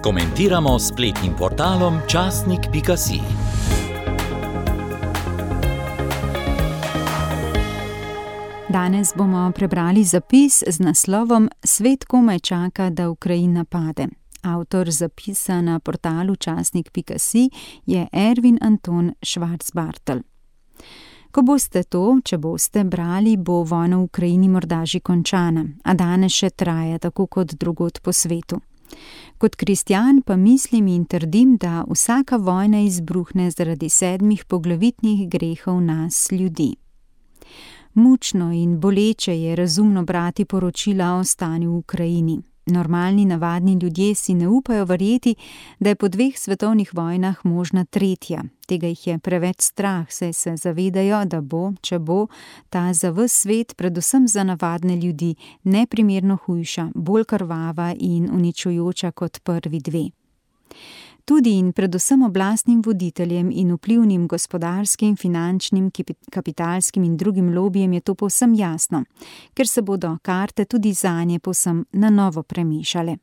Komentiramo s spletnim portalom časnik.si. Danes bomo prebrali zapis z naslovom Svet komaj čaka, da Ukrajina pade. Avtor zapisa na portalu časnik.si je Ervin Anton Schwarzbartl. Ko boste to, če boste brali, bo vojna v Ukrajini morda že končana, a danes še traja, tako kot drugod po svetu. Kot kristjan pa mislim in trdim, da vsaka vojna izbruhne zaradi 7 poglavitnih grehov nas, ljudi. Mučno in boleče je razumno brati poročila o stanju v Ukrajini. Normalni, navadni ljudje si ne upajo verjeti, da je po 2 svetovnih vojnah možna tretja. Tega jih je preveč strah, saj se zavedajo, da bo, če bo, ta za ves svet, predvsem za navadne ljudi, neprimerno hujša, bolj krvava in uničujoča kot prvi 2. Tudi in predvsem oblastnim voditeljem in vplivnim gospodarskim, finančnim, kapitalskim in drugim lobijem je to povsem jasno, ker se bodo karte tudi zanje povsem na novo premešale.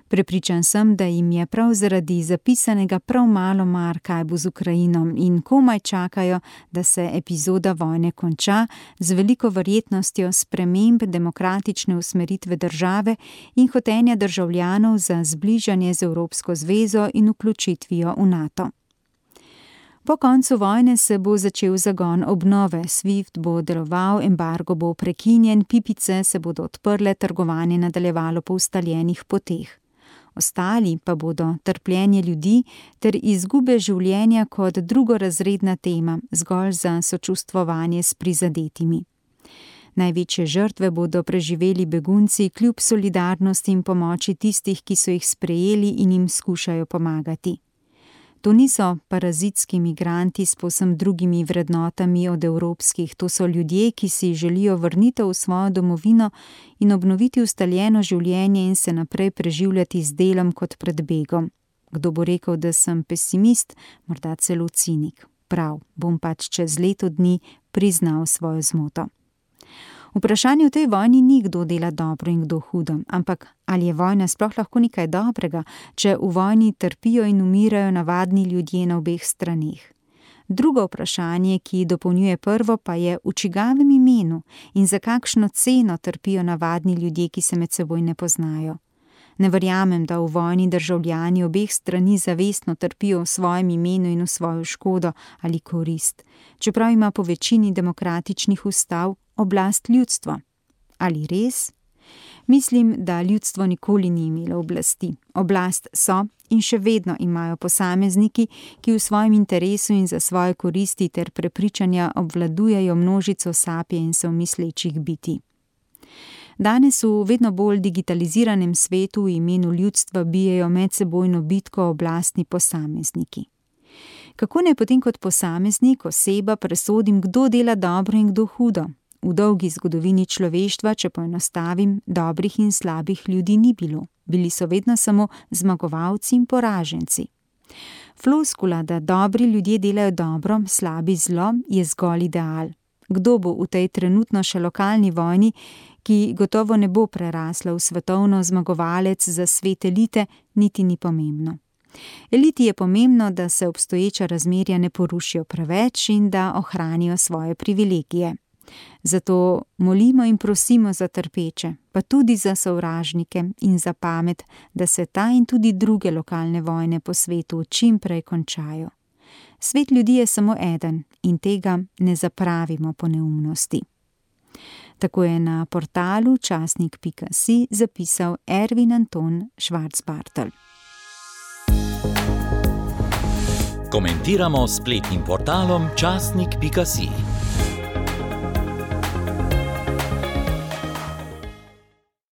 Prepričan sem, da jim je prav zaradi zapisanega prav malo mar, kaj bo z Ukrajino, in komaj čakajo, da se epizoda vojne konča z veliko verjetnostjo sprememb demokratične usmeritve države in hotenja državljanov za zbližanje z Evropsko zvezo in vključitvijo v NATO. Po koncu vojne se bo začel zagon obnove, SWIFT bo deloval, embargo bo prekinjen, pipice se bodo odprle, trgovanje nadaljevalo po ustaljenih poteh. Ostali pa bodo trpljenje ljudi ter izgube življenja kot drugorazredna tema, zgolj za sočustvovanje s prizadetimi. Največje žrtve bodo preživeli begunci kljub solidarnosti in pomoči tistih, ki so jih sprejeli in jim skušajo pomagati. To niso parazitski migranti s povsem drugimi vrednotami od evropskih, to so ljudje, ki si želijo vrnitev v svojo domovino in obnoviti ustaljeno življenje in se naprej preživljati z delom kot pred begom. Kdo bo rekel, da sem pesimist, morda celo cinik. Prav, bom pač čez leto dni priznal svojo zmoto. Vprašanje v tej vojni ni, kdo dela dobro in kdo hudo, ampak ali je vojna sploh lahko nekaj dobrega, če v vojni trpijo in umirajo navadni ljudje na obeh straneh. Drugo vprašanje, ki dopolnjuje prvo, pa je, v čigavem imenu in za kakšno ceno trpijo navadni ljudje, ki se med seboj ne poznajo. Ne verjamem, da v vojni državljani obeh strani zavestno trpijo v svojem imenu in v svojo škodo ali korist, čeprav ima po večini demokratičnih ustav oblast ljudstvo. Ali res? Mislim, da ljudstvo nikoli ni imelo oblasti. Oblast so in še vedno imajo posamezniki, ki v svojem interesu in za svoje koristi ter prepričanja obvladujejo množico sapiensov mislečih bitij. Danes v vedno bolj digitaliziranem svetu v imenu ljudstva bijejo medsebojno bitko oblastni posamezniki. Kako naj potem kot posameznik, oseba, presodim, kdo dela dobro in kdo hudo? V dolgi zgodovini človeštva, če poenostavim, dobrih in slabih ljudi ni bilo. Bili so vedno samo zmagovalci in poraženci. Floskula, da dobri ljudje delajo dobro, slabi zlo, je zgolj ideal. Kdo bo v tej trenutno še lokalni vojni, ki gotovo ne bo prerasla v svetovno zmagovalec za svet elite, niti ni pomembno. Eliti je pomembno, da se obstoječa razmerja ne porušijo preveč in da ohranijo svoje privilegije. Zato molimo in prosimo za trpeče, pa tudi za sovražnike in za pamet, da se ta in tudi druge lokalne vojne po svetu čim prej končajo. Svet ljudi je samo eden in tega ne zapravimo po neumnosti. Tako je na portalu časnik.si zapisal Ervin Anton Schwarzbartl. Komentiramo s spletnim portalom časnik.si.